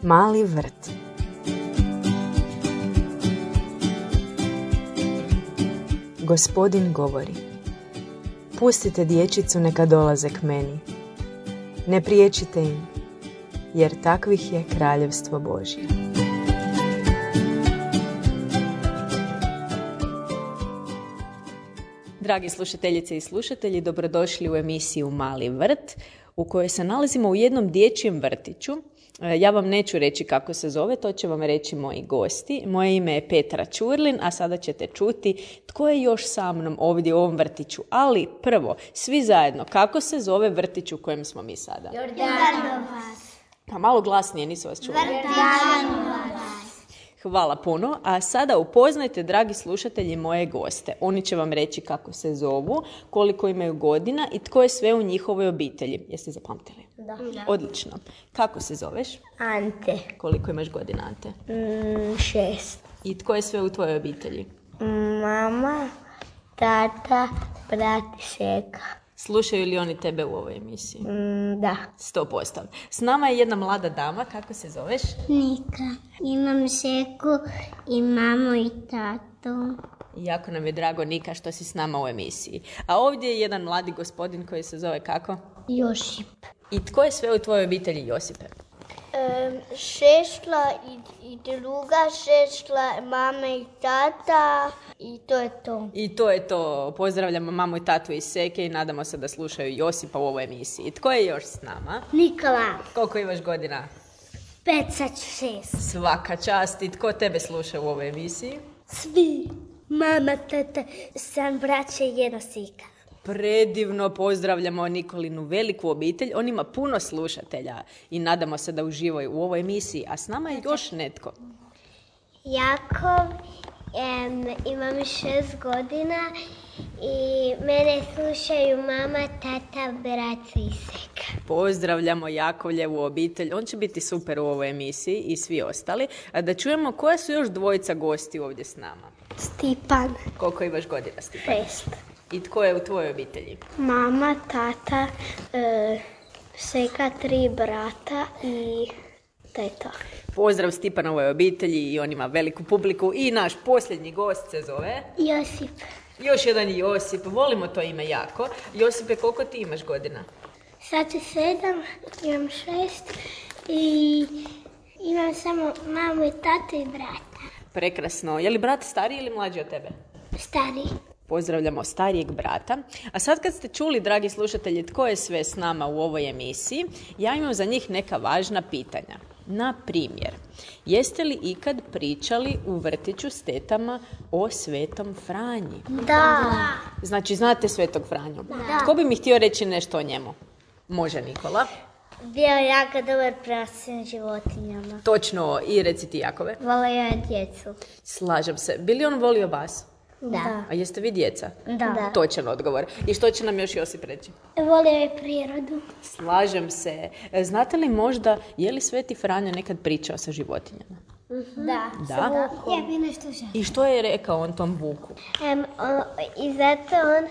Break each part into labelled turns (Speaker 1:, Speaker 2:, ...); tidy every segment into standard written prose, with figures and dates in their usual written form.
Speaker 1: Mali vrt. Gospodin govori: pustite dječicu neka dolaze k meni. Ne priječite im, jer takvih je kraljevstvo Božje.
Speaker 2: Dragi slušateljice i slušatelji, dobrodošli u emisiju Mali vrt, u kojoj se nalazimo u jednom dječjem vrtiću. Ja vam neću reći kako se zove, to će vam reći moji gosti. Moje ime je Petra Ćurlin, a sada ćete čuti tko je još sa mnom ovdje u ovom vrtiću. Ali prvo, svi zajedno, kako se zove vrtić u kojem smo mi sada?
Speaker 3: Jordanovac.
Speaker 2: Pa malo glasnije, nisu vas čuli.
Speaker 3: Jordanovac.
Speaker 2: Hvala puno, a sada upoznajte, dragi slušatelji, moje goste. Oni će vam reći kako se zovu, koliko imaju godina i tko je sve u njihovoj obitelji. Jeste zapamtili?
Speaker 3: Da.
Speaker 2: Odlično. Kako se zoveš?
Speaker 3: Ante.
Speaker 2: Koliko imaš godina, Ante?
Speaker 3: 6.
Speaker 2: I tko je sve u tvojoj obitelji?
Speaker 3: Mama, tata, brat i seka.
Speaker 2: Slušaju li oni tebe u ovoj emisiji?
Speaker 3: Da.
Speaker 2: 100%. S nama je jedna mlada dama, kako se zoveš?
Speaker 3: Nika. Imam seku i mamu i tatu.
Speaker 2: Jako nam je drago, Nika, što si s nama u emisiji. A ovdje je jedan mladi gospodin koji se zove kako?
Speaker 3: Josip.
Speaker 2: I tko je sve u tvojoj obitelji, Josipe?
Speaker 3: Šešla i druga šešla, mama i tata i to je to.
Speaker 2: I to je to. Pozdravljamo mamu i tatu iz Seke i nadamo se da slušaju Josipa u ovoj emisiji. Tko je još s nama?
Speaker 3: Nikola.
Speaker 2: Koliko imaš godina?
Speaker 3: 5, 6.
Speaker 2: Svaka čast. I tko tebe sluša u ovoj emisiji?
Speaker 3: Svi. Mama, tata, sam braća i jedna sika.
Speaker 2: Predivno, pozdravljamo Nikolinu veliku obitelj. On ima puno slušatelja i nadamo se da uživaju u ovoj emisiji. A s nama je još netko.
Speaker 3: Jakov, imam 6 godina i mene slušaju mama, tata, brat i seka.
Speaker 2: Pozdravljamo Jakovljevu obitelj. On će biti super u ovoj emisiji i svi ostali. A da čujemo koja su još dvojica gosti ovdje s nama.
Speaker 3: Stipan.
Speaker 2: Koliko imaš godina, Stipan?
Speaker 3: 6.
Speaker 2: I tko je u tvojoj obitelji?
Speaker 3: Mama, tata, seka, 3 brata i to je to.
Speaker 2: Pozdrav Stipanovoj obitelji i on ima veliku publiku. I naš posljednji gost se zove?
Speaker 3: Josip.
Speaker 2: Još jedan Josip. Volimo to ime jako. Josipe, koliko ti imaš godina?
Speaker 3: Sad je 7, imam 6 i imam samo mamu i tatu i brata.
Speaker 2: Prekrasno. Je li brat stariji ili mlađi od tebe?
Speaker 3: Stariji.
Speaker 2: Pozdravljamo starijeg brata. A sad kad ste čuli, dragi slušatelji, tko je sve s nama u ovoj emisiji, ja imam za njih neka važna pitanja. Na primjer, jeste li ikad pričali u vrtiću s tetama o Svetom Franji?
Speaker 3: Da.
Speaker 2: Znači, znate Svetog Franju? Da. Tko bi mi htio reći nešto o njemu? Može Nikola.
Speaker 3: Bio je jako dobar prema svim životinjama.
Speaker 2: Točno, i reci ti Jakove.
Speaker 3: Volio je djecu.
Speaker 2: Slažem se. Bi li on volio vas?
Speaker 3: Da.
Speaker 2: A jeste vi djeca?
Speaker 3: Da.
Speaker 2: Točan odgovor. I što će nam još Josip reći?
Speaker 3: Volio je prirodu.
Speaker 2: Slažem se. Znate li možda, je li Sveti Franjo nekad pričao sa životinjama?
Speaker 3: Da.
Speaker 2: Da?
Speaker 3: Ja bi nešto želio.
Speaker 2: I što je rekao on tom vuku?
Speaker 3: I zato on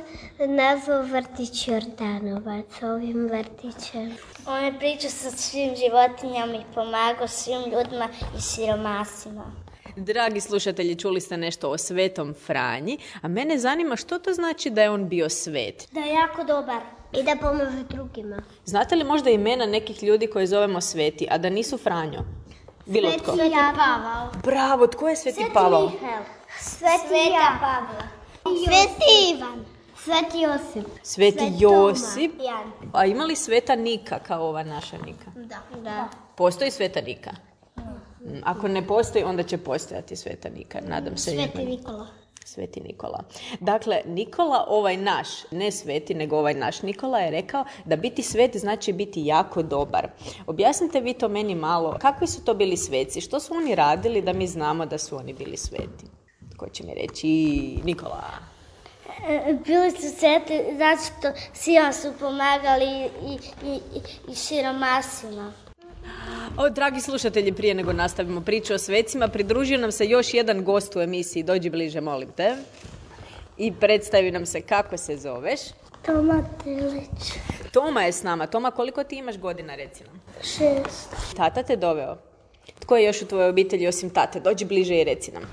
Speaker 3: nazvao vrtić Jordanovac ovim vrtićem. On je pričao sa svim životinjama i pomagao svim ljudima i siromasima.
Speaker 2: Dragi slušatelji, čuli ste nešto o Svetom Franji, a mene zanima što to znači da je on bio svet.
Speaker 3: Da je jako dobar. I da pomaže drugima.
Speaker 2: Znate li možda imena nekih ljudi koje zovemo sveti, a da nisu Franjo? Bilo tko?
Speaker 3: Sveti Pavao.
Speaker 2: Bravo, tko je Sveti Pavao?
Speaker 3: Sveta Pavla. Sveti Ivan. Sveti Josip.
Speaker 2: Sveti Josip.
Speaker 3: Jan.
Speaker 2: A ima li Sveta Nika kao ova naša Nika?
Speaker 3: Da.
Speaker 2: Postoji Sveta Nika? Ako ne postoji, onda će postojati Sveta Nika. Nadam se.
Speaker 3: Sveti Nikola.
Speaker 2: Sveti Nikola. Dakle, Nikola, ovaj naš, ne sveti, nego ovaj naš Nikola je rekao da biti svet znači biti jako dobar. Objasnite vi to meni malo. Kakvi su to bili sveci? Što su oni radili da mi znamo da su oni bili sveti? Ko će mi reći? Nikola.
Speaker 3: Bili su sveti zato što svima su pomagali i siromasima.
Speaker 2: Dragi slušatelji, prije nego nastavimo priču o svecima, pridružio nam se još jedan gost u emisiji. Dođi bliže, molim te. I predstavi nam se kako se zoveš.
Speaker 3: Toma Telić.
Speaker 2: Toma je s nama. Toma, koliko ti imaš godina, reci nam?
Speaker 3: 6.
Speaker 2: Tata te doveo. Tko je još u tvojoj obitelji osim tate? Dođi bliže i reci nam.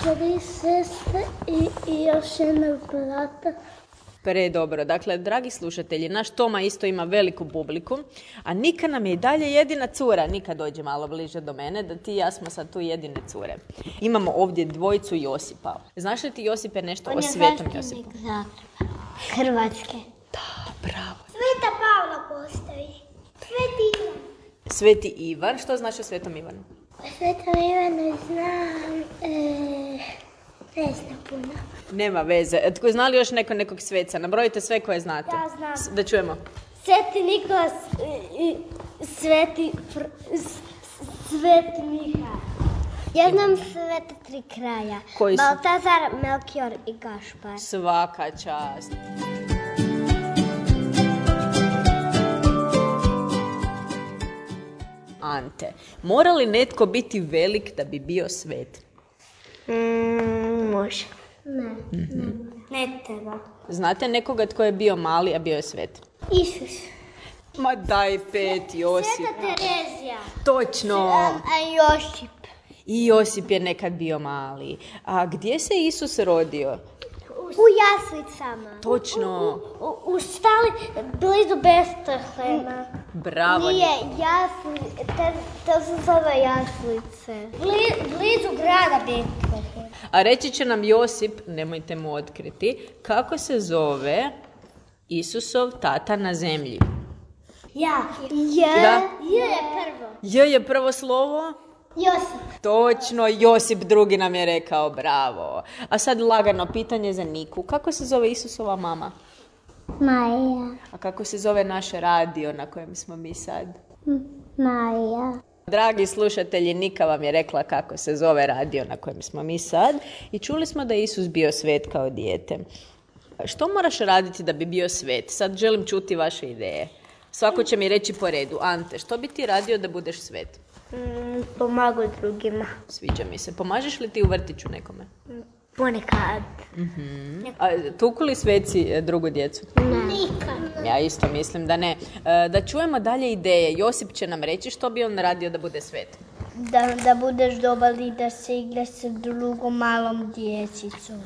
Speaker 3: 3 sestre i još jednog brata.
Speaker 2: Predobro. Dakle, dragi slušatelji, naš Toma isto ima veliku publiku, a Nika nam je i dalje jedina cura. Nika, dođe malo bliže do mene, da ti i ja smo sad tu jedine cure. Imamo ovdje dvojicu Josipa. Znaš li ti, Josipe, nešto o Svetom Josipu?
Speaker 3: On je Zagreba, Hrvatske.
Speaker 2: Da, bravo.
Speaker 3: Sveta Pavla postoji. Sveti Ivan.
Speaker 2: Sveti Ivan. Što znaš o Svetom Ivanu?
Speaker 3: O Svetom Ivanu znam... Ne znam puno.
Speaker 2: Nema veze. Tko zna li još nekog sveca? Nabrojite sve koje znate.
Speaker 3: Ja znam.
Speaker 2: Da čujemo.
Speaker 3: Sveti Nikolas i Sveti Miha. Ja znam sveta 3 kralja.
Speaker 2: Koji su?
Speaker 3: Baltazar, Melkior i Gašpar.
Speaker 2: Svaka čast. Ante, mora li netko biti velik da bi bio svet?
Speaker 3: Može. Ne treba.
Speaker 2: Znate nekoga tko je bio mali, a bio je svet?
Speaker 3: Isus.
Speaker 2: Ma daj 5, Josip.
Speaker 3: Sveta Terezija.
Speaker 2: Točno.
Speaker 3: A Josip.
Speaker 2: I Josip je nekad bio mali. A gdje se Isus rodio?
Speaker 3: U jaslicama.
Speaker 2: Točno.
Speaker 3: U stali blizu Betlehema.
Speaker 2: Bravo.
Speaker 3: Nije jaslice, to se zove jaslice. Blizu grada Betlehem.
Speaker 2: A reći će nam Josip, nemojte mu otkriti, kako se zove Isusov tata na zemlji.
Speaker 3: Ja.
Speaker 2: Da.
Speaker 3: J je prvo.
Speaker 2: J je prvo slovo?
Speaker 3: Josip.
Speaker 2: Točno, Josip drugi nam je rekao, bravo. A sad lagano pitanje za Niku. Kako se zove Isusova mama?
Speaker 3: Maja.
Speaker 2: A kako se zove naš radio na kojem smo mi sad?
Speaker 3: Maja.
Speaker 2: Dragi slušatelji, Nika vam je rekla kako se zove radio na kojem smo mi sad i čuli smo da je Isus bio svet kao dijete. Što moraš raditi da bi bio svet? Sad želim čuti vaše ideje. Svako će mi reći po redu. Ante, što bi ti radio da budeš svet?
Speaker 3: Pomagu drugima.
Speaker 2: Sviđa mi se. Pomažeš li ti u vrtiću nekome?
Speaker 3: Ponekad.
Speaker 2: A tuku li sveci drugu djecu?
Speaker 3: Nikad.
Speaker 2: Ja isto mislim da ne. Da čujemo dalje ideje. Josip će nam reći što bi on radio da bude svet.
Speaker 3: Da budeš dobar i da se igraš sa drugom malom djecicom.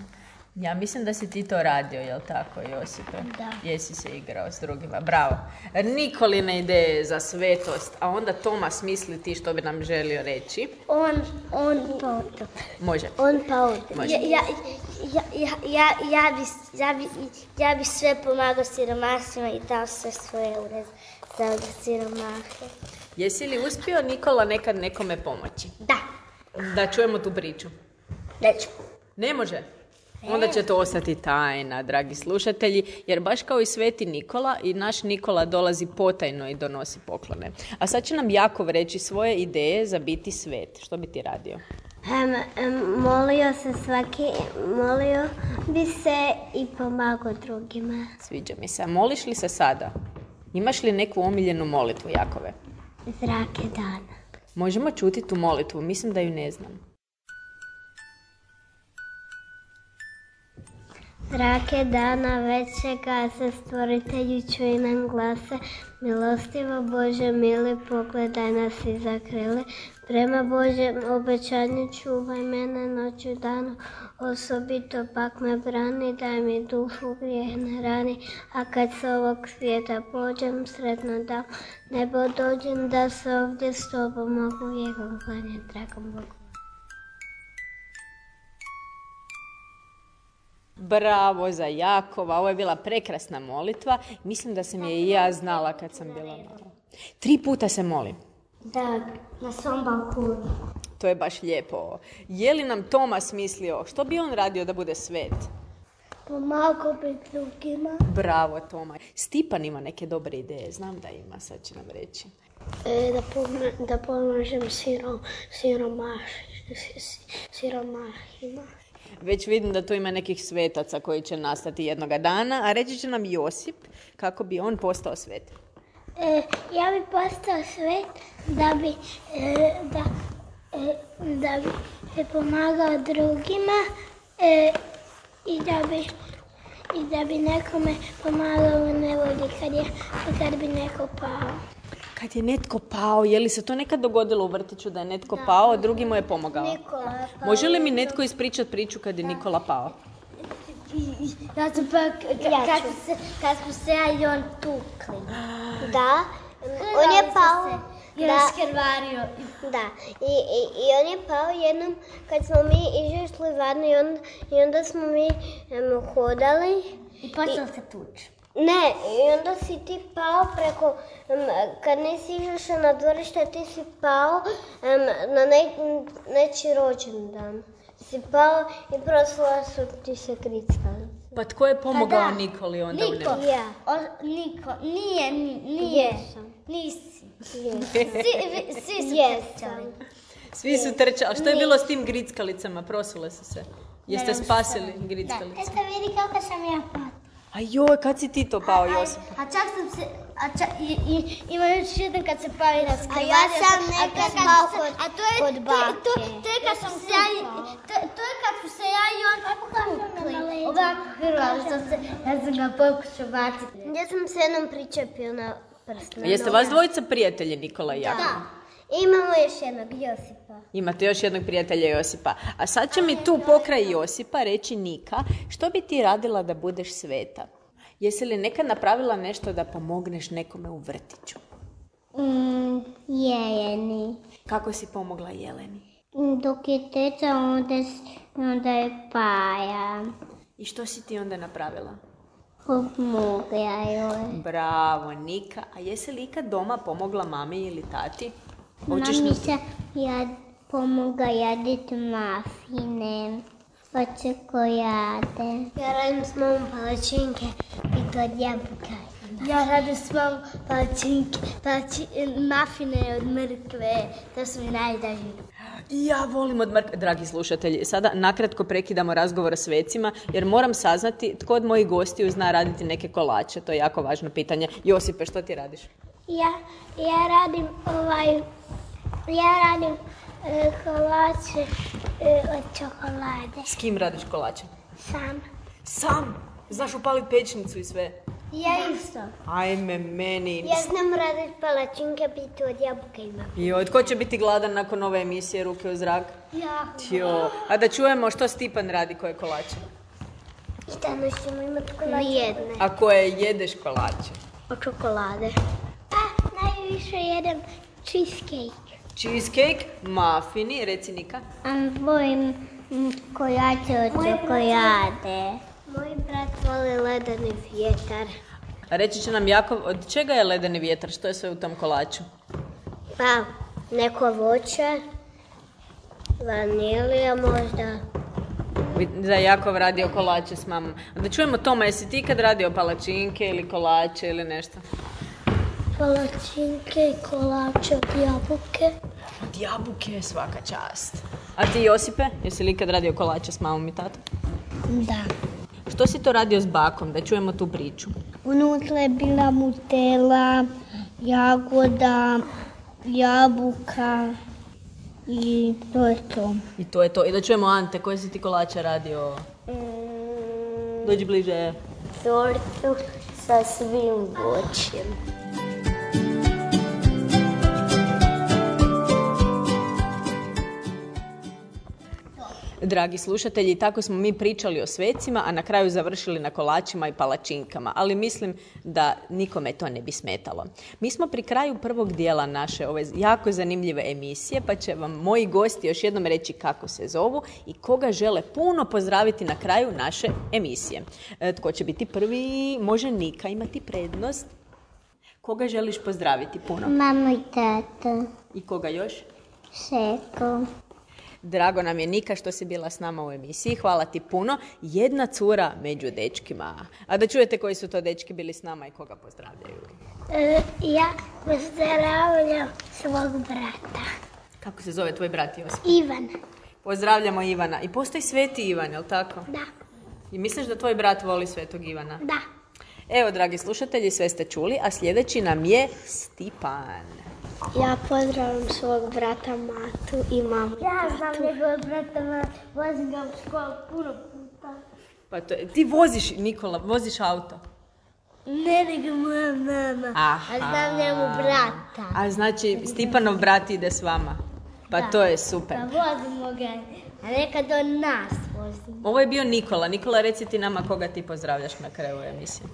Speaker 2: Ja mislim da si ti to radio, jel tako, Josipe?
Speaker 3: Da.
Speaker 2: Jesi se igrao s drugima, bravo. Nikoline ideje za svetost, a onda Toma smisli ti što bi nam želio reći.
Speaker 3: On pa oto.
Speaker 2: Može.
Speaker 3: On pa oto.
Speaker 2: Može.
Speaker 3: Ja bi sve pomagao siromasima i dao sve svoje eure za siromahe.
Speaker 2: Jesi li uspio, Nikola, nekad nekome pomoći?
Speaker 3: Da.
Speaker 2: Da čujemo tu priču.
Speaker 3: Neću.
Speaker 2: Ne može? Onda će to ostati tajna, dragi slušatelji, jer baš kao i sveti Nikola, i naš Nikola dolazi potajno i donosi poklone. A sad će nam Jakov reći svoje ideje za biti svet. Što bi ti radio?
Speaker 3: Molio bi se i pomagao drugima.
Speaker 2: Sviđa mi se. A moliš li se sada? Imaš li neku omiljenu molitvu, Jakove?
Speaker 3: Zrake dana.
Speaker 2: Možemo čuti tu molitvu, mislim da ju ne znam.
Speaker 3: Zrake dana većega se stvoritelju čuj nam glase, milostivo Bože mili pogledaj nas i zakrili, prema Božjem obećanju čuvaj mene noću danu, osobito pak me brani, daj mi dušu grijeh ne rani, a kad s ovog svijeta pođem sretno da nebo dođem da se ovdje s tobom mogu vijegom klanjati dragom Bogu.
Speaker 2: Bravo za Jakova, ovo je bila prekrasna molitva. Mislim da sam je i ja znala kad sam bila mala. 3 puta se molim.
Speaker 3: Da, na svom balkonu.
Speaker 2: To je baš lijepo. Je li nam Toma smislio što bi on radio da bude svet?
Speaker 3: Pomagao bi drugima.
Speaker 2: Bravo, Toma. Stipan ima neke dobre ideje, znam da ima, sad će nam reći.
Speaker 3: Da pomažem siromahima.
Speaker 2: Već vidim da tu ima nekih svetaca koji će nastati jednoga dana, a reći će nam Josip kako bi on postao svet.
Speaker 3: Ja bi postao svet da bi pomagao drugima i da bi nekome pomagao u nevolji kad bi neko pao.
Speaker 2: Kad je netko pao, je li se to nekad dogodilo u vrtiću da je netko pao, a drugi mu je pomogao?
Speaker 3: Nikola je pao.
Speaker 2: Može li mi netko ispričati priču kad je Nikola pao?
Speaker 3: Ja sam pa, kad smo se ja i on tukli. Da, on je pao. Da, skrvario. Da, i on je pao jednom kad smo mi izašli van i onda smo mi hodali. I počeo se tući. Ne, i onda si ti pao preko, kad nisi izašao na dvorište, ti si pao na nečiji rođendan. Si pao i prosula su ti se grickali.
Speaker 2: Pa tko je pomogao Nikoli onda u nebu?
Speaker 3: Ja. Niko, nije. Nisi. Svi su trčali.
Speaker 2: Svi su trčali. A što je bilo s tim grickalicama? Prosule su se. Jeste spasili grickalice?
Speaker 3: Eto vidi kako sam ja pao.
Speaker 2: A joj, kad si ti to pao, Josip?
Speaker 3: A čak sam se, ima još jedan kad se pao i raskrivario. A ja sam nekad pao kod bake. To je kad sam se ja i on tukli. Ovako hrvali što se, ja sam ga pokušao baciti. Ja sam se jednom pričepio na prst.
Speaker 2: Jeste vas dvojica prijatelji, Nikola i Jakov?
Speaker 3: Da. Imamo još jednog Josipa.
Speaker 2: Imate još jednog prijatelja Josipa. A sad će mi tu pokraj Josipa reći Nika, što bi ti radila da budeš sveta? Jesi li nekad napravila nešto da pomogneš nekome u vrtiću?
Speaker 3: Jeleni.
Speaker 2: Kako si pomogla Jeleni?
Speaker 3: Dok je teca, onda je Paja.
Speaker 2: I što si ti onda napravila?
Speaker 3: Pomogla joj.
Speaker 2: Bravo, Nika. A jesi li ikad doma pomogla mami ili tati?
Speaker 3: Mami se pomogla jaditi mafine, od čokolade. Ja radim s mamom palačinke i to od jabuka. Ja radim s mamom mafine od mrkve, to su mi najdraži.
Speaker 2: Ja volim od mrkve. Dragi slušatelji, sada nakratko prekidamo razgovor s vecima, jer moram saznati tko od mojih gostiju zna raditi neke kolače. To je jako važno pitanje. Josipe, što ti radiš?
Speaker 3: Ja radim kolače od čokolade.
Speaker 2: S kim radiš kolače?
Speaker 3: Sam.
Speaker 2: Sam? Znaš upaliti pećnicu i sve?
Speaker 3: Ja isto.
Speaker 2: Ajme, meni.
Speaker 3: Ja znam raditi palačinke, biti od jabuka ima.
Speaker 2: Joj, tko će biti gladan nakon ove emisije Ruke u zrak?
Speaker 3: Ja.
Speaker 2: A da čujemo što Stipan radi koje kolače.
Speaker 3: I danas ćemo imati kolače. Nijedne.
Speaker 2: A koje jedeš kolače?
Speaker 3: Od čokolade. Najviše jedem cheesecake.
Speaker 2: Cheesecake, mafini, reci Nika.
Speaker 3: Volim kolače od čokolade. Moj brat voli ledeni vjetar.
Speaker 2: A reći će nam Jakov, od čega je ledeni vjetar? Što je sve u tom kolaču?
Speaker 3: Pa, neko voće, vanilija možda.
Speaker 2: Da je Jakov radio kolače s mamom. A da čujemo Toma, jesi ti kad radio palačinke ili kolače ili nešto?
Speaker 3: Palačinke i kolače od jabuke.
Speaker 2: Od jabuke, svaka čast. A ti Josipe, jesi li kad radio kolače s mamom i tatom?
Speaker 3: Da.
Speaker 2: Što si to radio s bakom, da čujemo tu priču?
Speaker 3: Unutra je bila Nutella, jagoda, jabuka i to je to.
Speaker 2: I to je to. I da čujemo Ante, koje si ti kolače radio? Dođi bliže.
Speaker 3: Tortu sa svim voćem.
Speaker 2: Dragi slušatelji, tako smo mi pričali o svecima, a na kraju završili na kolačima i palačinkama, ali mislim da nikome to ne bi smetalo. Mi smo pri kraju prvog dijela naše ove jako zanimljive emisije, pa će vam moji gosti još jednom reći kako se zovu i koga žele puno pozdraviti na kraju naše emisije. Tko će biti prvi? Može Nika imati prednost. Koga želiš pozdraviti puno?
Speaker 3: Mamu i tatu.
Speaker 2: I koga još?
Speaker 3: Šeko.
Speaker 2: Drago nam je Nika što si bila s nama u emisiji. Hvala ti puno. Jedna cura među dečkima. A da čujete koji su to dečki bili s nama i koga pozdravljaju.
Speaker 3: Ja pozdravljam svog brata.
Speaker 2: Kako se zove tvoj brat Josip?
Speaker 3: Ivan.
Speaker 2: Pozdravljamo Ivana. I postoji Sveti Ivan, je li tako?
Speaker 3: Da.
Speaker 2: I misliš da tvoj brat voli Svetog Ivana?
Speaker 3: Da.
Speaker 2: Evo, dragi slušatelji, sve ste čuli, a sljedeći nam je Stipan.
Speaker 3: Ja pozdravljam svog brata Matu i mamu. Ja znam njegovog brata Matu, vozim ga u školu puno puta.
Speaker 2: Pa ti voziš, Nikola, voziš auto?
Speaker 3: Ne, nego moja mama.
Speaker 2: Aha.
Speaker 3: A znam njemu brata.
Speaker 2: A znači, Stipanov brat ide s vama. Pa to je super.
Speaker 3: Pa vozimo ga, a nekad on nas vozi.
Speaker 2: Ovo je bio Nikola. Nikola, reci ti nama koga ti pozdravljaš na kraju emisije.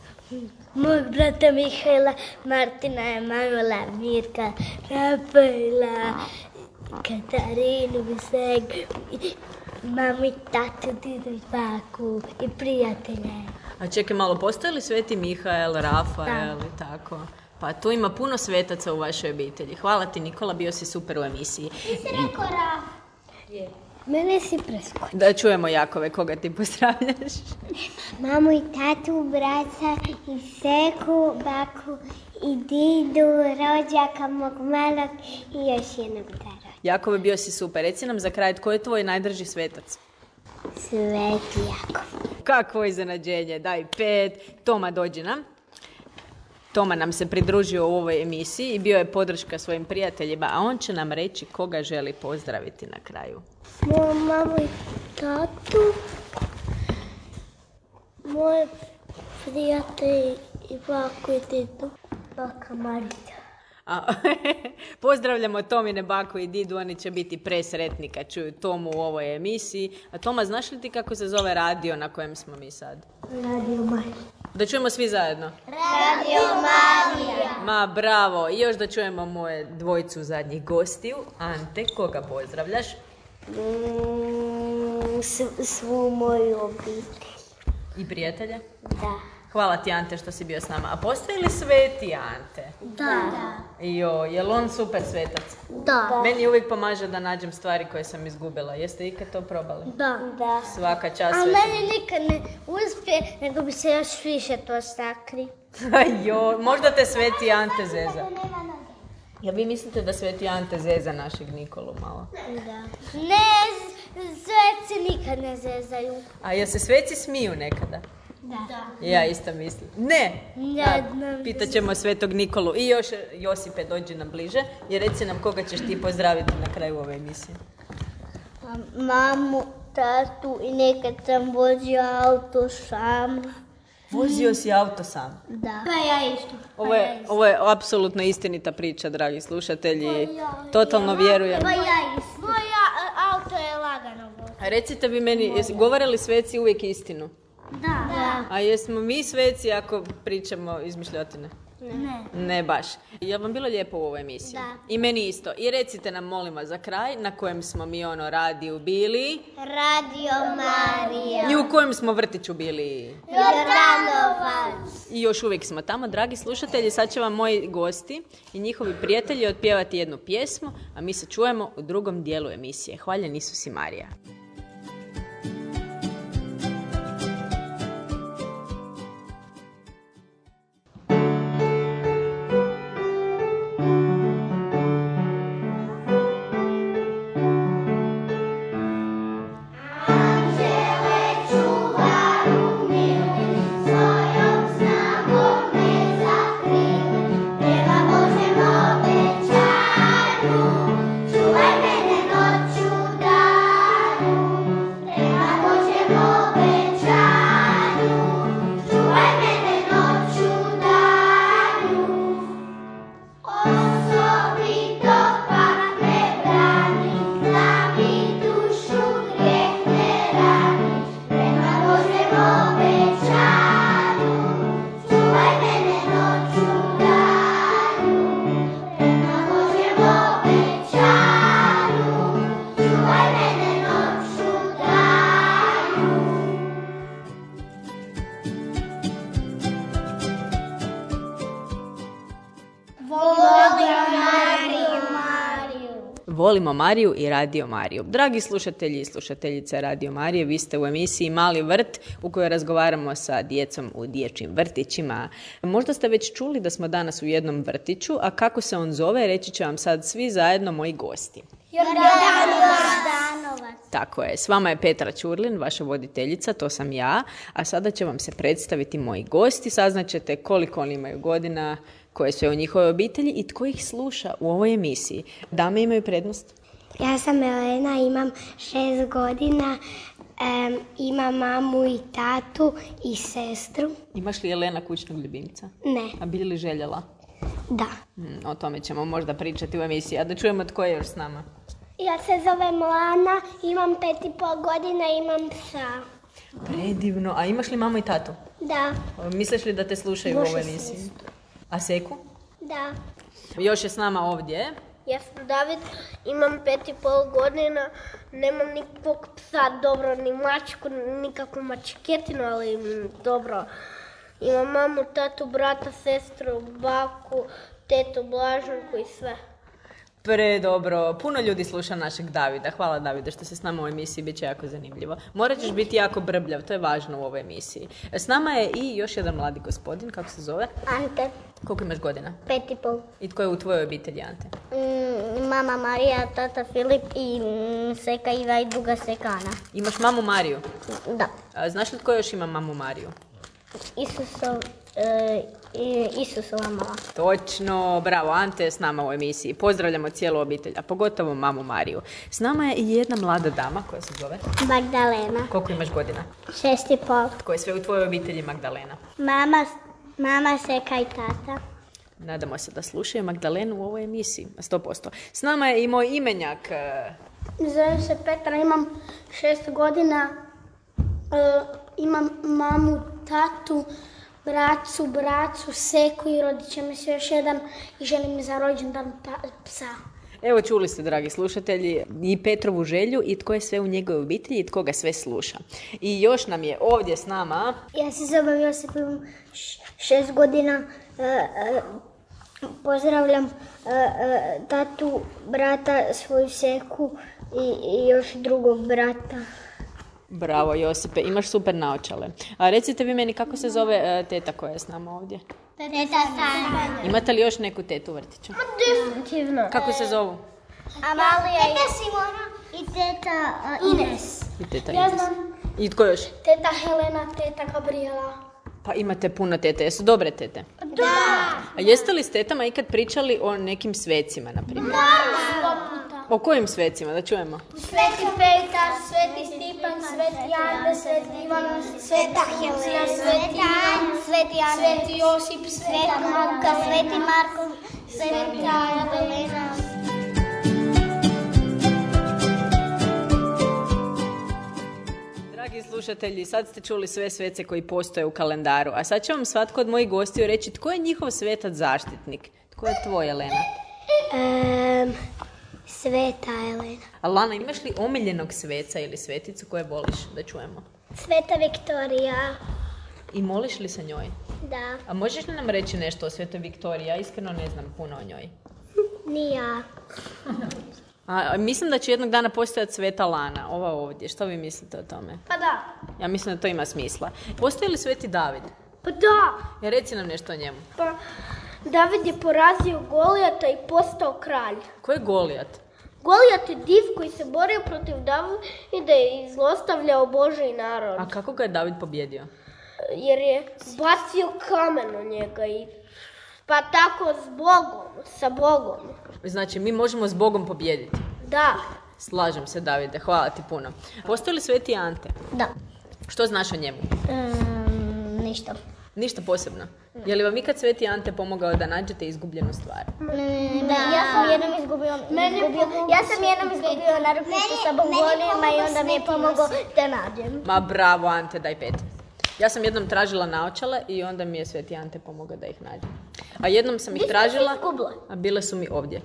Speaker 3: Mog brata Mihajla, Martina, Emanuela, Mirka, Rafaela, Katarinu, Viseg, mamu i tatu, didu i baku i prijatelje.
Speaker 2: A čekaj malo, postoje li Sveti Mihael, Rafael i tako? Pa tu ima puno svetaca u vašoj obitelji. Hvala ti, Nikola, bio si super u emisiji.
Speaker 3: Ti si rekao Raf. Mene si preskočio.
Speaker 2: Da čujemo, Jakove, koga ti pozdravljaš?
Speaker 3: Mamu i tatu, brata i seku, baku i didu, rođaka mog malog i još jednog rođaka.
Speaker 2: Jakove, bio si super. Reci nam za kraj, tko je tvoj najdrži svetac?
Speaker 3: Sveti Jakov.
Speaker 2: Kakvo iznenađenje, daj 5. Toma, dođi nam. Toma nam se pridružio u ovoj emisiji i bio je podrška svojim prijateljima, a on će nam reći koga želi pozdraviti na kraju.
Speaker 3: Moju mamu i tatu, moje prijatelje i baku i didu, baka Marita.
Speaker 2: Pozdravljamo Tomine baku i didu, oni će biti presretni kad čuju Tomu u ovoj emisiji. A Toma, znaš li ti kako se zove radio na kojem smo mi sad?
Speaker 3: Radio Marija.
Speaker 2: Da čujemo svi zajedno.
Speaker 3: Radio Marija.
Speaker 2: Ma bravo, i još da čujemo moje dvojicu zadnjih gostiju. Ante, koga pozdravljaš?
Speaker 3: Svu moju obitelj.
Speaker 2: I prijatelje?
Speaker 3: Da.
Speaker 2: Hvala ti, Ante, što si bio s nama. A postoji li Sveti Ante?
Speaker 3: Da.
Speaker 2: Jo, je li on super svetac?
Speaker 3: Da.
Speaker 2: Meni uvijek pomaže da nađem stvari koje sam izgubila. Jeste ikad to probali?
Speaker 3: Da.
Speaker 2: Svaka čast
Speaker 3: A
Speaker 2: Sveti.
Speaker 3: meni nikad ne uspije, nego bi se još više to sakri.
Speaker 2: Jo, možda te Sveti Ante zeza. Ja vi mislite da Sveti Ante zeza našeg Nikolu malo?
Speaker 3: Da. Ne, sveci nikad ne zezaju.
Speaker 2: A jel se sveci smiju nekada?
Speaker 3: Da.
Speaker 2: Ja isto mislim. Ne!
Speaker 3: Ja,
Speaker 2: Pitat ćemo Svetog Nikolu. I još, Josipe, dođi nam bliže i reci nam koga ćeš ti pozdraviti na kraju ove emisije.
Speaker 3: Mamu, tatu i nekad sam vozio auto sam.
Speaker 2: Vozio si auto sam?
Speaker 3: Da. Pa ja isto.
Speaker 2: Ovo je apsolutno istinita priča, dragi slušatelji. Totalno vjerujem.
Speaker 3: Pa ja isto. Moja auto je lagano vozio.
Speaker 2: A recite vi meni, govore li sveci uvijek istinu?
Speaker 3: Da.
Speaker 2: A jesmo mi sveci ako pričamo izmišljotine?
Speaker 3: Ne.
Speaker 2: Ne baš. Je li vam bilo lijepo u ovoj emisiji?
Speaker 3: Da.
Speaker 2: I meni isto. I recite nam, molim vas, za kraj, na kojem smo mi radiju bili?
Speaker 3: Radio Marija.
Speaker 2: I u kojem smo vrtiću bili?
Speaker 3: Jordanovac.
Speaker 2: I još uvijek smo tamo, dragi slušatelji. Sad će vam moji gosti i njihovi prijatelji otpjevati jednu pjesmu, a mi se čujemo u drugom dijelu emisije. Hvaljen Isus i Marija. Volimo Mariju i Radio Mariju. Dragi slušatelji i slušateljice Radio Marije, vi ste u emisiji Mali vrt u kojoj razgovaramo sa djecom u dječjim vrtićima. Možda ste već čuli da smo danas u jednom vrtiću, a kako se on zove, reći će vam sad svi zajedno moji gosti.
Speaker 3: Jordanovac.
Speaker 2: Tako je, s vama je Petra Ćurlin, vaša voditeljica, to sam ja, a sada će vam se predstaviti moji gosti, saznaćete koliko oni imaju godina, koje su u njihovoj obitelji i tko ih sluša u ovoj emisiji. Dame imaju prednost.
Speaker 3: Ja sam Elena, imam 6 godina, Imam mamu i tatu i sestru.
Speaker 2: Imaš li Jelena kućnog ljubimca?
Speaker 3: Ne.
Speaker 2: A bi li željela?
Speaker 3: Da.
Speaker 2: O tome ćemo možda pričati u emisiji. A da čujemo tko je još s nama.
Speaker 3: Ja se zovem Lana, imam 5,5 godina i imam psa.
Speaker 2: Predivno. A imaš li mamu i tatu?
Speaker 3: Da.
Speaker 2: Misliš li da te slušaju u ovoj emisiji? A Seku?
Speaker 3: Da.
Speaker 2: Još je s nama ovdje.
Speaker 3: Ja sam David, imam 5,5 godina, nemam nikakvog psa, dobro, ni mačku, nikakvu mačketinu, ali dobro. Imam mamu, tatu, brata, sestru, baku, tetu, Blaženku i sve.
Speaker 2: Predobro. Puno ljudi sluša našeg Davida. Hvala Davide što si s nama u emisiji, bit će jako zanimljivo. Morat ćeš biti jako brbljav, to je važno u ovoj emisiji. S nama je i još jedan mladi gospodin, kako se zove?
Speaker 3: Ante.
Speaker 2: Koliko imaš godina?
Speaker 3: 5,5.
Speaker 2: I tko je u tvojoj obitelji, Ante?
Speaker 3: Mama Marija, tata Filip i Seka Iva i druga Seka Ana.
Speaker 2: Imaš mamu Mariju?
Speaker 3: Da.
Speaker 2: Znaš li tko još ima mamu Mariju?
Speaker 3: Isusova mama.
Speaker 2: Točno, bravo, Ante je s nama u emisiji. Pozdravljamo cijelu obitelj, a pogotovo mamu Mariju. S nama je i jedna mlada dama koja se zove?
Speaker 3: Magdalena.
Speaker 2: Koliko imaš godina?
Speaker 3: 6,5.
Speaker 2: Tko je sve u tvojoj obitelji, Magdalena?
Speaker 3: Mama, Seka i tata.
Speaker 2: Nadamo se da slušaju Magdalenu u ovoj emisiji, 100%. S nama je i moj imenjak.
Speaker 3: Zovem se Petra, imam 6 godina. Imam mamu, tatu, bracu, Seku i rodit će mi se još jedan i želim za rođendan psa.
Speaker 2: Evo čuli ste, dragi slušatelji, i Petrovu želju i tko je sve u njegovoj obitelji i tko ga sve sluša. I još nam je ovdje s nama...
Speaker 3: Ja se zovem Josip, imam 6 godina. Pozdravljam tatu, brata, svoju Seku i još drugog brata.
Speaker 2: Bravo Josipe, imaš super naočale. A recite vi meni kako se zove teta koja je s nama ovdje?
Speaker 3: Teta Sanja.
Speaker 2: Imate li još neku tetu u vrtiću?
Speaker 3: Definitivno.
Speaker 2: Kako se zovu?
Speaker 3: Amalija i teta Simona i teta Ines.
Speaker 2: I teta
Speaker 3: Ja
Speaker 2: Ines.
Speaker 3: znam.
Speaker 2: I tko još?
Speaker 3: Teta Helena, teta Gabriela.
Speaker 2: Pa imate puno tete. Jesu dobre tete?
Speaker 3: Da.
Speaker 2: A jeste li s tetama ikad pričali o nekim svecima, na primjer?
Speaker 3: Da.
Speaker 2: O kojim svecima? Da čujemo.
Speaker 3: Sveti Petar, Sveti Stipan, Sveti Ante, Sveti Ivan, Sveta Helena, Sveti Ante, Sveti Josip, Sveta Marka, Sveti Marko, Sveta Jelena.
Speaker 2: Dragi slušatelji, sad ste čuli sve svece koji postoje u kalendaru, a sad će vam svatko od mojih gostiju reći tko je njihov svetac zaštitnik. Tko je tvoj, Jelena?
Speaker 3: Sveta Jelena.
Speaker 2: A Lana, imaš li omiljenog sveca ili sveticu koje voliš? Da čujemo.
Speaker 3: Sveta Viktorija.
Speaker 2: I moliš li se njoj?
Speaker 3: Da.
Speaker 2: A možeš li nam reći nešto o Svetoj Viktoriji? Ja iskreno ne znam puno o njoj.
Speaker 3: Ni ja.
Speaker 2: A mislim da će jednog dana postojati Sveta Lana, ova ovdje. Što vi mislite o tome?
Speaker 3: Pa da.
Speaker 2: Ja mislim da to ima smisla. Postoji li Sveti David?
Speaker 3: Pa da.
Speaker 2: Ja, reci nam nešto o njemu.
Speaker 3: Pa David je porazio Golijata i postao kralj.
Speaker 2: Ko je Golijat?
Speaker 3: Golijat je div koji se borio protiv Davida i zlostavljao Božji narod.
Speaker 2: A kako ga je David pobjedio?
Speaker 3: Jer je bacio kamen u njega i pa tako sa Bogom.
Speaker 2: Znači, mi možemo s Bogom pobijediti.
Speaker 3: Da.
Speaker 2: Slažem se, Davide, hvala ti puno. Postoji li Sveti Ante?
Speaker 3: Da.
Speaker 2: Što znaš o njemu?
Speaker 3: Ništa.
Speaker 2: Ništa posebno. Je li vam ikad Sveti Ante pomogao da nađete izgubljenu stvar?
Speaker 3: Da. Ja sam jednom izgubio narukvicu sa bombonima i onda mi je pomogao da nađem.
Speaker 2: Ma bravo, Ante, daj 5. Ja sam jednom tražila naočale i onda mi je Sveti Ante pomogao da ih nađem. A jednom sam ih tražila, a bile su mi ovdje.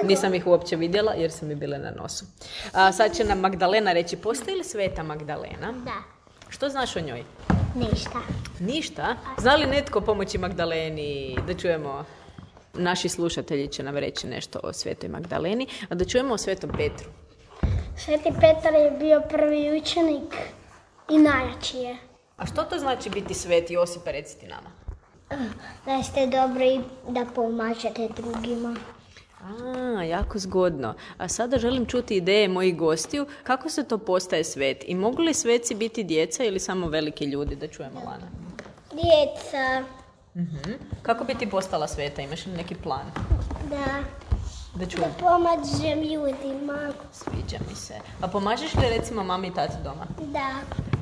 Speaker 2: Nisam ih uopće vidjela jer su mi bile na nosu. Sad će nam Magdalena reći, postoji li Sveta Magdalena?
Speaker 3: Da.
Speaker 2: Što znaš o njoj?
Speaker 3: Ništa.
Speaker 2: Ništa? Zna li netko pomoći Magdaleni? Da čujemo, naši slušatelji će nam reći nešto o Svetoj Magdaleni, a da čujemo o Svetom Petru.
Speaker 3: Sveti Petar je bio prvi učenik i najjači je.
Speaker 2: A što to znači biti sveti, Josipa, reciti nama?
Speaker 3: Da ste dobri i da pomažete drugima.
Speaker 2: Jako zgodno. A sada želim čuti ideje mojih gostiju. Kako se to postaje svet? I mogu li sveci biti djeca ili samo veliki ljudi? Da čujemo, Lana.
Speaker 3: Djeca.
Speaker 2: Kako bi ti postala sveta? Imaš li neki plan?
Speaker 3: Da.
Speaker 2: Da čujem.
Speaker 3: Da pomažem ljudima.
Speaker 2: Sviđa mi se. A pomažeš li recimo mami i tati doma?
Speaker 3: Da.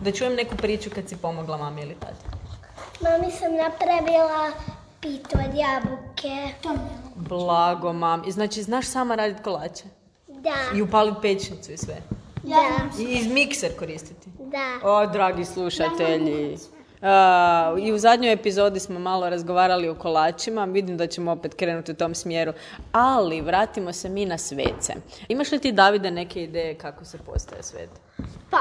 Speaker 2: Da čujem neku priču kad si pomogla mami ili tati.
Speaker 3: Mami sam napravila pitu od jabuke.
Speaker 2: Blago, mami. Znači, znaš sama raditi kolače?
Speaker 3: Da.
Speaker 2: I upaliti pećnicu i sve?
Speaker 3: Da.
Speaker 2: I mikser koristiti?
Speaker 3: Da.
Speaker 2: O, dragi slušatelji. I u zadnjoj epizodi smo malo razgovarali o kolačima. Vidim da ćemo opet krenuti u tom smjeru. Ali vratimo se mi na svece. Imaš li ti, Davide, neke ideje kako se postaje svet?
Speaker 3: Pa,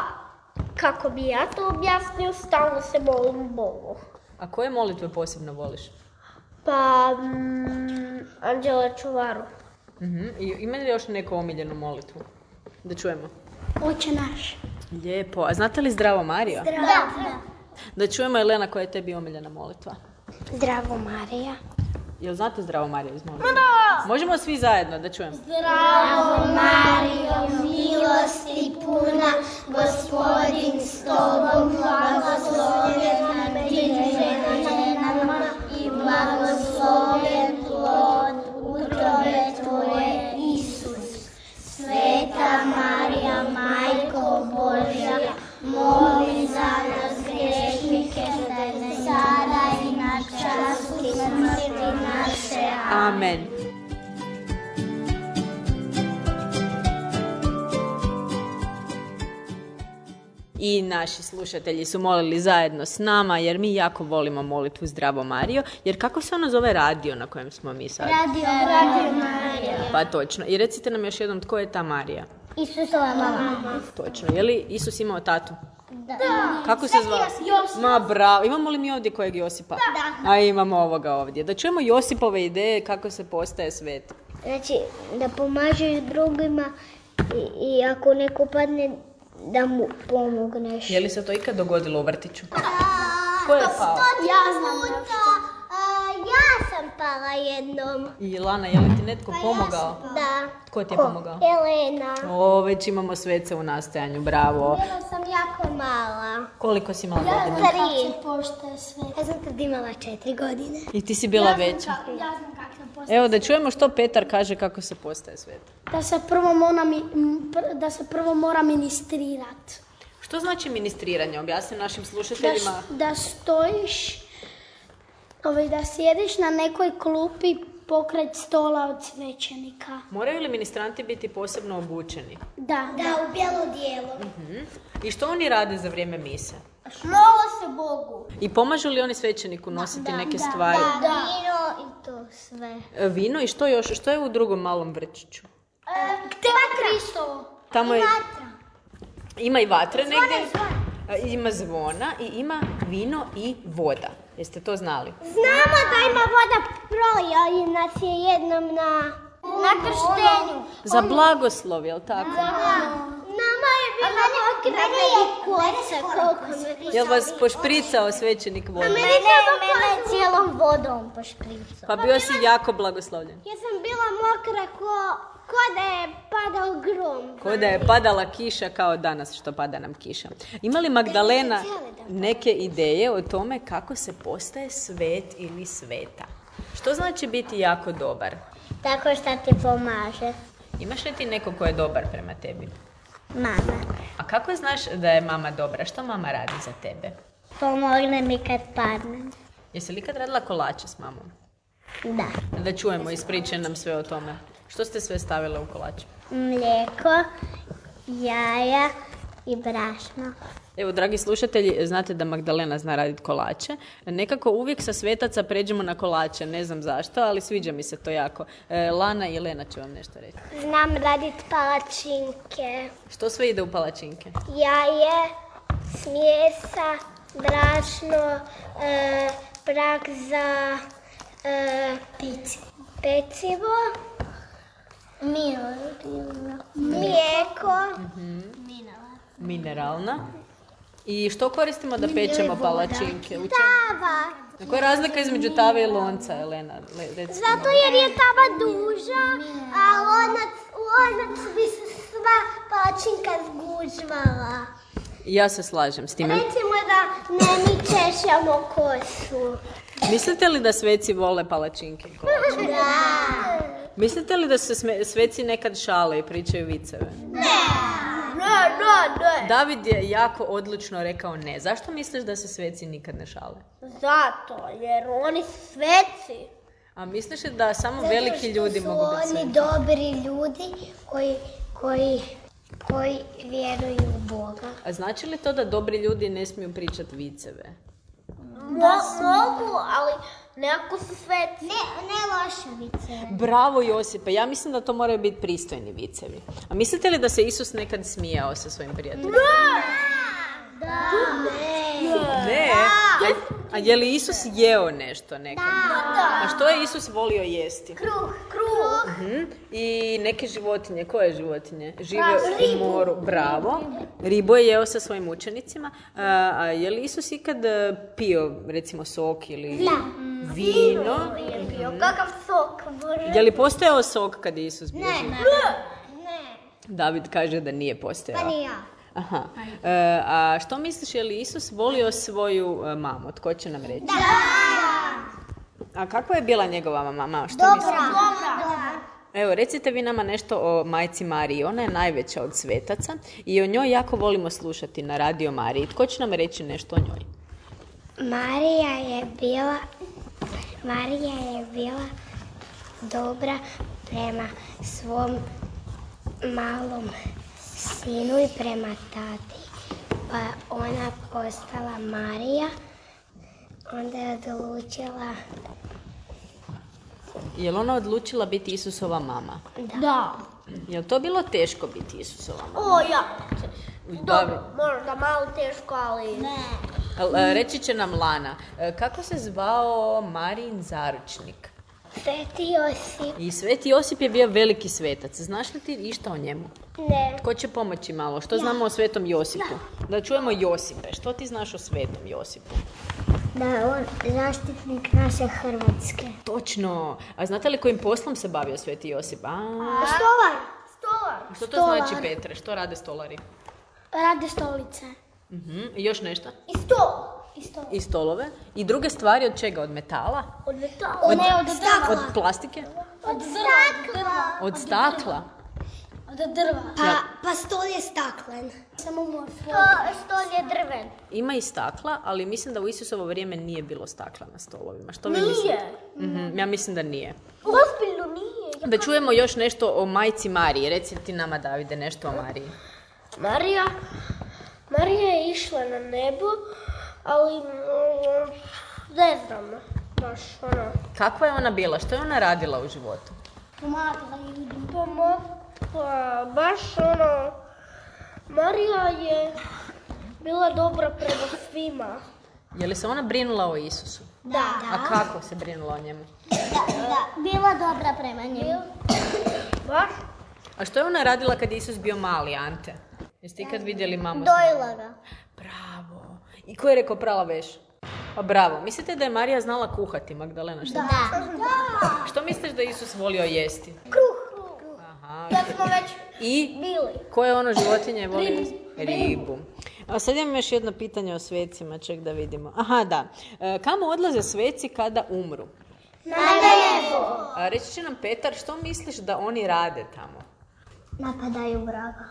Speaker 3: kako bi ja to objasnio, stalno se molim Bogu.
Speaker 2: A koje molitve posebno voliš?
Speaker 3: Pa, Anđela Čuvaru.
Speaker 2: I ima li još neku omiljenu molitvu? Da čujemo.
Speaker 3: Oče naš.
Speaker 2: Lijepo. A znate li Zdravo Marijo?
Speaker 3: Da.
Speaker 2: Da čujemo, Elena, koja je tebi omiljena molitva?
Speaker 3: Zdravo Marija.
Speaker 2: Jel znate Zdravo Marijo iz molitve? Da! Možemo svi zajedno, da čujemo.
Speaker 3: Zdravo Marijo, milosti puna, Gospodin s tobom, blagoslovljena ti među ženama i blagoslovljen plod utrobe tvoje, Isus. Sveta Marija, Majko Božja, moli za nas grešnike, sada i na času smrti naše.
Speaker 2: Amen. I naši slušatelji su molili zajedno s nama, jer mi jako volimo molitvu Zdravo Marijo. Jer kako se ono zove radio na kojem smo mi sad?
Speaker 3: Radio Marija.
Speaker 2: Pa točno. I recite nam još jednom, tko je ta Marija?
Speaker 3: Isusova mama.
Speaker 2: Točno. Je li Isus imao tatu?
Speaker 3: Da.
Speaker 2: Kako se zvao? Ma bravo. Imamo li mi ovdje kojeg Josipa?
Speaker 3: Da.
Speaker 2: A imamo ovoga ovdje. Da čujemo Josipove ideje kako se postaje svet.
Speaker 3: Znači, da pomažeš drugima i ako neko padne, da mu pomogneš.
Speaker 2: Je li se to ikad dogodilo u vrtiću? Ko je pao?
Speaker 3: Ja znam nešto. Ja sam pala jednom.
Speaker 2: I Lana, je li ti netko pomogao?
Speaker 3: Da.
Speaker 2: Tko ti je pomogao?
Speaker 3: Elena.
Speaker 2: O, već imamo svece u nastajanju, bravo.
Speaker 3: Bila sam jako mala.
Speaker 2: Koliko si imala godina?
Speaker 3: 3. Ja sam tad imala 4 godine.
Speaker 2: I ti si bila veća.
Speaker 3: Ja znam kako sam postala.
Speaker 2: Evo, da čujemo što Petar kaže kako se postaje svet.
Speaker 3: Da se prvo mora ministrirati.
Speaker 2: Što znači ministriranje? Objasni našim slušateljima.
Speaker 3: Da stojiš, da sjediš na nekoj klupi pokraj stola od svećenika.
Speaker 2: Moraju li ministranti biti posebno obučeni?
Speaker 3: Da, u bijelo dijelo.
Speaker 2: I što oni rade za vrijeme mise?
Speaker 3: Mole se Bogu.
Speaker 2: I pomažu li oni svećeniku nositi neke stvari?
Speaker 3: Da, vino i to sve.
Speaker 2: Vino i što još? Što je u drugom malom vrčiću?
Speaker 3: Kristovo.
Speaker 2: Tamo je...
Speaker 3: Vatra.
Speaker 2: Ima i vatre negdje. Ima zvona i ima vino i voda. Jeste to znali?
Speaker 3: Znamo da ima voda, prolio nas je jednom na krštenju.
Speaker 2: Za blagoslov, jel tako?
Speaker 3: Nama je bila mokra kosa.
Speaker 2: Jel vas pošpricao svećenik vodom?
Speaker 3: Mene cijelom vodom pošpricao.
Speaker 2: Pa bio si jako blagoslovljen.
Speaker 3: Ja sam bila mokra ko da je padao grom.
Speaker 2: Ko da je padala kiša kao danas što pada nam kiša. Ima li Magdalena neke ideje o tome kako se postaje svet ili sveta? Što znači biti jako dobar?
Speaker 3: Tako što ti pomaže.
Speaker 2: Imaš li ti neko ko je dobar prema tebi?
Speaker 3: Mama.
Speaker 2: A kako znaš da je mama dobra? Što mama radi za tebe?
Speaker 3: Pomogne mi kad padnem.
Speaker 2: Jesi li ikad radila kolače s mamom?
Speaker 3: Da.
Speaker 2: Da čujemo, ispričaj nam sve o tome. Što ste sve stavile u kolače?
Speaker 3: Mlijeko, jaja i brašno.
Speaker 2: Evo, dragi slušatelji, znate da Magdalena zna raditi kolače. Nekako uvijek sa svetaca pređemo na kolače, ne znam zašto, ali sviđa mi se to jako. Lana i Elena će vam nešto reći.
Speaker 3: Znam raditi palačinke.
Speaker 2: Što sve ide u palačinke?
Speaker 3: Jaje, smjesa, brašno, prah za pecivo, mlijeko,
Speaker 2: Mineralna. I što koristimo da pečemo palačinke?
Speaker 3: tava.
Speaker 2: Koja je razlika između tave i lonca, Elena?
Speaker 3: Zato jer je tava duža, a lonac bi se sva palačinka zgužvala.
Speaker 2: Ja se slažem s time.
Speaker 3: Recimo da ne mi češljamo kosu.
Speaker 2: Mislite li da sveci vole palačinke?
Speaker 3: Da.
Speaker 2: Mislite li da se sveci nekad šale i pričaju viceve?
Speaker 3: Ne.
Speaker 2: David je jako odlučno rekao ne. Zašto misliš da se sveci nikad ne šale?
Speaker 3: Zato, jer oni su sveci.
Speaker 2: A misliš da samo veliki ljudi mogu biti sveci?
Speaker 3: Oni dobri ljudi koji vjeruju u Boga.
Speaker 2: A znači li to da dobri ljudi ne smiju pričati viceve?
Speaker 3: Mogu, ali nekako su sveci. Ne loše viceve.
Speaker 2: Bravo Josipe, ja mislim da to moraju biti pristojni vicevi. A mislite li da se Isus nekad smijao sa svojim prijateljima? Ne. A je li Isus jeo nešto nekad? A što je Isus volio jesti?
Speaker 3: Kruh.
Speaker 2: I neke životinje. Koje životinje? Žive u moru. Bravo. Ribu je jeo sa svojim učenicima. A je li Isus ikad pio, recimo, sok ili vino?
Speaker 3: Je pio. Kakav sok, Bože?
Speaker 2: Je li postojao sok kad je Isus bio živ?
Speaker 3: Ne.
Speaker 2: David kaže da nije postojao.
Speaker 3: Pa ni ja.
Speaker 2: Aha. A što misliš, je li Isus volio svoju mamu? Tko će nam reći? A kakva je bila njegova mama? Dobra. Evo, recite vi nama nešto o majci Mariji. Ona je najveća od svetaca i o njoj jako volimo slušati na Radio Mariji. Tko će nam reći nešto o njoj?
Speaker 3: Marija je bila dobra prema svom malom sinu i prema tati. Pa ona postala Marija. Onda je odlučila...
Speaker 2: Je li ona odlučila biti Isusova mama?
Speaker 3: Da.
Speaker 2: Je li to bilo teško biti Isusova mama?
Speaker 3: O, ja. Dobro, možda malo teško, ali... Ne.
Speaker 2: Reći će nam Lana, kako se zvao Marijin zaručnik?
Speaker 3: Sveti Josip.
Speaker 2: I Sveti Josip je bio veliki svetac. Znaš li ti išta o njemu?
Speaker 3: Ne.
Speaker 2: Tko će pomoći malo? Što znamo o Svetom Josipu? Da čujemo Josipe. Što ti znaš o Svetom Josipu?
Speaker 3: Da je on zaštitnik naše Hrvatske.
Speaker 2: Točno. A znate li kojim poslom se bavio Sveti Josip?
Speaker 3: Stolar.
Speaker 2: Što to znači, Petre? Što rade stolari?
Speaker 3: Rade stolice.
Speaker 2: I još nešto?
Speaker 3: I stol.
Speaker 2: I stolove. I druge stvari od čega? Od metala?
Speaker 3: Od metala. Ne, od stakla.
Speaker 2: Od plastike?
Speaker 3: Od stakla.
Speaker 2: Od stakla?
Speaker 3: Od drva. Pa stol je staklen. Samo može. Stol je drven.
Speaker 2: Ima i stakla, ali mislim da u Isusovo vrijeme nije bilo stakla na stolovima. Što vi mislite? Ja mislim da nije.
Speaker 3: Ozbiljno nije.
Speaker 2: Da čujemo još nešto o majci Mariji. Reci ti nama, Davide, nešto o Mariji.
Speaker 3: Marija je išla na nebo, ali ne znam, baš ona.
Speaker 2: Kakva je ona bila? Što je ona radila u životu?
Speaker 3: Pomagala ljudima. Baš ono, Marija je bila dobra prema svima.
Speaker 2: Je li se ona brinula o Isusu?
Speaker 3: Da.
Speaker 2: A kako se brinula o njemu?
Speaker 3: Da. Bila dobra prema njemu. Baš?
Speaker 2: A što je ona radila kad je Isus bio mali, Ante? Jeste ikad vidjeli mamu?
Speaker 3: Dojila ga.
Speaker 2: Bravo. I ko je rekao prala veš? Pa bravo. Mislite da je Marija znala kuhati, Magdalena? Što?
Speaker 3: Da.
Speaker 2: Što misliš da je Isus volio jesti?
Speaker 3: Kruh.
Speaker 2: Aha.
Speaker 3: Ja smo već
Speaker 2: bili. Koje ono životinje voli jesti? Ribu. A sad imam još jedno pitanje o svecima, ček da vidimo. Aha, da. Kamo odlaze sveci kada umru?
Speaker 3: Na nebo.
Speaker 2: Reći će nam Petar, što misliš da oni rade tamo?
Speaker 3: Napadaju vraga.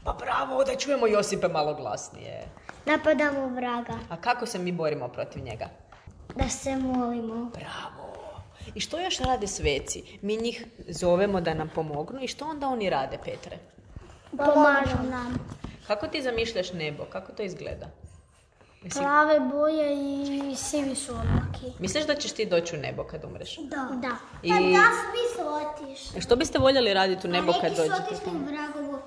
Speaker 2: Pa bravo, da čujemo Josipe malo glasnije.
Speaker 3: Napadamo vraga.
Speaker 2: A kako se mi borimo protiv njega?
Speaker 3: Da se molimo.
Speaker 2: Bravo. I što još rade sveci? Mi njih zovemo da nam pomognu i što onda oni rade, Petre?
Speaker 3: Pomažu nam.
Speaker 2: Kako ti zamišljaš nebo? Kako to izgleda?
Speaker 3: Plave boje i sivi su oblaki.
Speaker 2: Misliš da ćeš ti doći u nebo kad umreš?
Speaker 3: Da.
Speaker 2: I...
Speaker 3: Pa da svi su otišli.
Speaker 2: Što biste voljeli raditi u nebo kad dođete?
Speaker 3: Neki su otišli vragovu.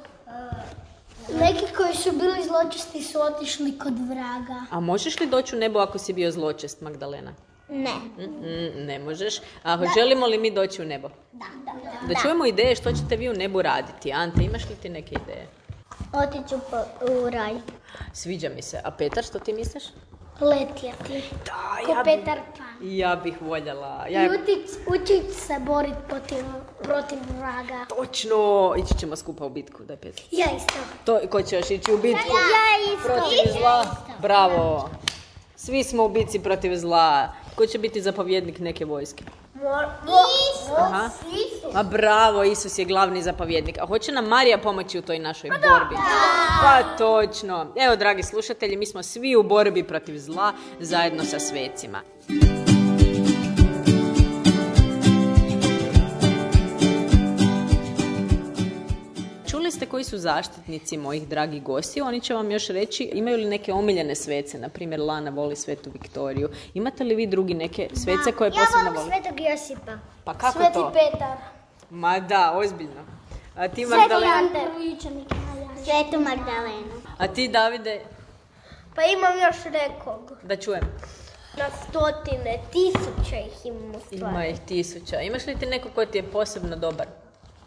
Speaker 3: Neki koji su bili zločesti su otišli kod vraga.
Speaker 2: A možeš li doći u nebo ako si bio zločest, Magdalena?
Speaker 3: Ne.
Speaker 2: Ne možeš. A želimo li mi doći u nebo? Da čujemo ideje što ćete vi u nebu raditi. Ante, imaš li ti neke ideje?
Speaker 3: Otiću u raj.
Speaker 2: Sviđa mi se. A Petar, što ti misliš?
Speaker 3: Letjeti.
Speaker 2: Da,
Speaker 3: Ko Petar Pan.
Speaker 2: Ja bih voljela.
Speaker 3: Učit se boriti protiv vraga.
Speaker 2: Točno! Ići ćemo skupa u bitku, daj Petar.
Speaker 3: Ja isto.
Speaker 2: Ko će još ići u bitku?
Speaker 3: Ja isto.
Speaker 2: Protiv zla? Bravo! Svi smo u bitci protiv zla. Ko će biti zapovjednik neke vojske?
Speaker 3: Isus.
Speaker 2: Aha. A bravo, Isus je glavni zapovjednik. A hoće nam Marija pomoći u toj našoj borbi? Pa točno. Evo, dragi slušatelji, mi smo svi u borbi protiv zla zajedno sa svecima. Čuli ste koji su zaštitnici mojih dragih gostiju, oni će vam još reći imaju li neke omiljene svece, na primjer Lana voli Svetu Viktoriju. Imate li vi drugi neke svece koje posebno voli?
Speaker 3: Ja volim Svetog Josipa.
Speaker 2: Pa kako
Speaker 3: Sveti
Speaker 2: to?
Speaker 3: Petar.
Speaker 2: Ma da, ozbiljno. A ti
Speaker 3: Sveti
Speaker 2: Magdalena?
Speaker 3: Ante. Svetu Magdalenu.
Speaker 2: A ti Davide?
Speaker 3: Pa imam još nekog.
Speaker 2: Da čujem.
Speaker 3: Na stotine, tisuće ih imamo stvari.
Speaker 2: Ima ih tisuća. Imaš li ti neko ko ti je posebno dobar?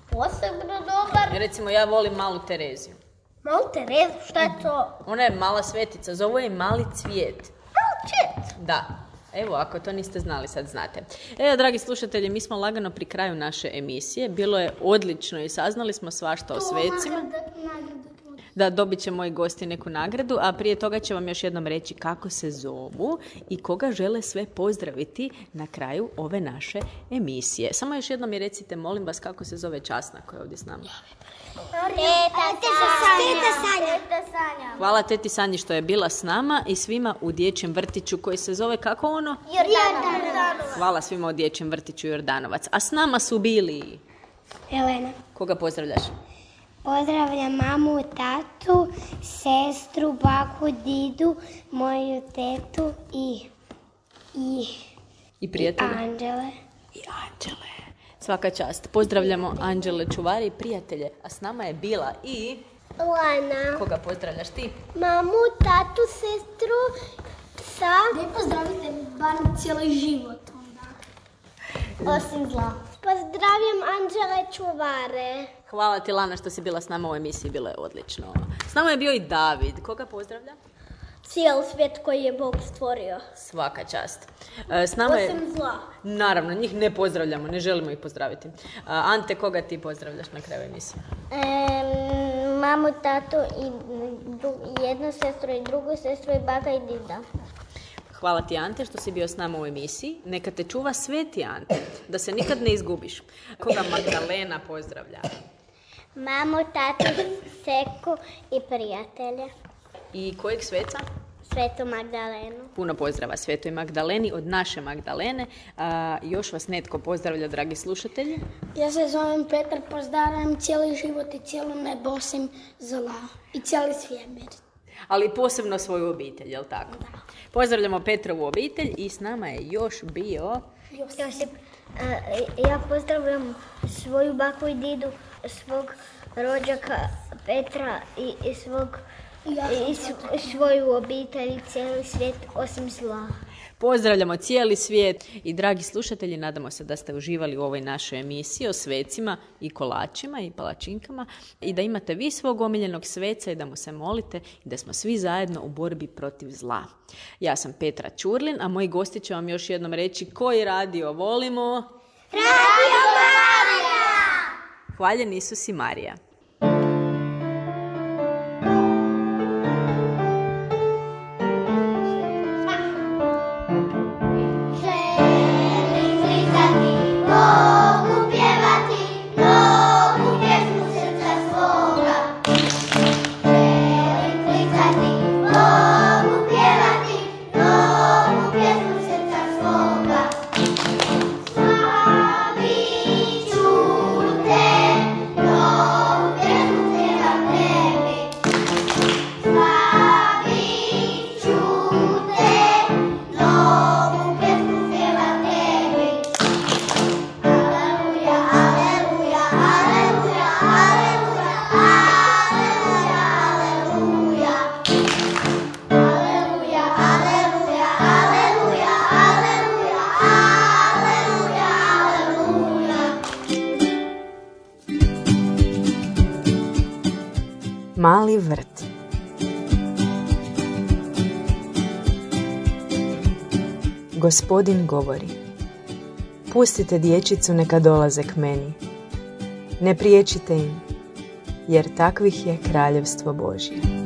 Speaker 3: Posebno dobar.
Speaker 2: Recimo, ja volim malu Tereziju.
Speaker 3: Malu Terezu, šta je to?
Speaker 2: Ona je mala svetica, zovu je Mali cvijet.
Speaker 3: Malčet.
Speaker 2: Da. Evo, ako to niste znali, sad znate. Evo, dragi slušatelji, mi smo lagano pri kraju naše emisije. Bilo je odlično i saznali smo svašta o svecima. Da, dobit će moji gosti neku nagradu, a prije toga će vam još jednom reći kako se zovu i koga žele sve pozdraviti na kraju ove naše emisije. Samo još jednom mi recite, molim vas, kako se zove časna koja je ovdje s nama?
Speaker 3: Teta Sanja.
Speaker 2: Hvala teti Sanji što je bila s nama i svima u dječjem vrtiću koji se zove kako ono?
Speaker 3: Jordanovac.
Speaker 2: Hvala svima u dječjem vrtiću Jordanovac. A s nama su bili...
Speaker 3: Elena.
Speaker 2: Koga pozdravljaš?
Speaker 3: Pozdravljam mamu, tatu, sestru, baku, didu, moju tetu
Speaker 2: I prijatelje?
Speaker 3: Anđele.
Speaker 2: I Anđele. Svaka čast. Pozdravljamo Anđele, čuvari i prijatelje. A s nama je bila i...
Speaker 3: Lana.
Speaker 2: Koga pozdravljaš ti?
Speaker 3: Mamu, tatu, sestru, psa. Ne pozdravite bar cijeli život onda. Osim zla. Pozdravljam Anđele, čuvare.
Speaker 2: Hvala ti, Lana, što si bila s nama u emisiji. Bilo je odlično. S nama je bio i David. Koga pozdravlja?
Speaker 3: Cijeli svijet koji je Bog stvorio.
Speaker 2: Svaka čast. S nama je...
Speaker 3: Osim zla.
Speaker 2: Naravno, njih ne pozdravljamo, ne želimo ih pozdraviti. Ante, koga ti pozdravljaš na kraju emisije?
Speaker 3: Mamu, tatu i jednu sestru i drugu sestru i baka i dida.
Speaker 2: Hvala ti, Ante, što si bio s nama u emisiji. Neka te čuva sveti Ante, da se nikad ne izgubiš. Koga Magdalena pozdravlja?
Speaker 3: Mamu, tatu, seku i prijatelje.
Speaker 2: I kojeg sveca?
Speaker 3: Svetu Magdalenu.
Speaker 2: Puno pozdrava Svetoj Magdaleni od naše Magdalene. Još vas netko pozdravlja, dragi slušatelji.
Speaker 4: Ja se zovem Petar, pozdravljam cijeli život i cijelo nebo osim zla i cijeli svemir.
Speaker 2: Ali posebno svoju obitelj, jel tako? Da. Pozdravljamo Petrovu obitelj i s nama je još bio...
Speaker 3: Josip. Ja pozdravljam svoju baku i didu, svog rođaka Petra i svoju obitelj i cijeli svijet osim zla.
Speaker 2: Pozdravljamo cijeli svijet i dragi slušatelji, nadamo se da ste uživali u ovoj našoj emisiji o svecima i kolačima i palačinkama i da imate vi svog omiljenog sveca i da mu se molite i da smo svi zajedno u borbi protiv zla. Ja sam Petra Ćurlin, a moji gosti će vam još jednom reći koji radio volimo.
Speaker 3: Radio Marija!
Speaker 2: Hvaljen Isus i Marija.
Speaker 1: Mali vrt. Gospodin govori: pustite dječicu neka dolaze k meni. Ne priječite im, jer takvih je kraljevstvo Božje.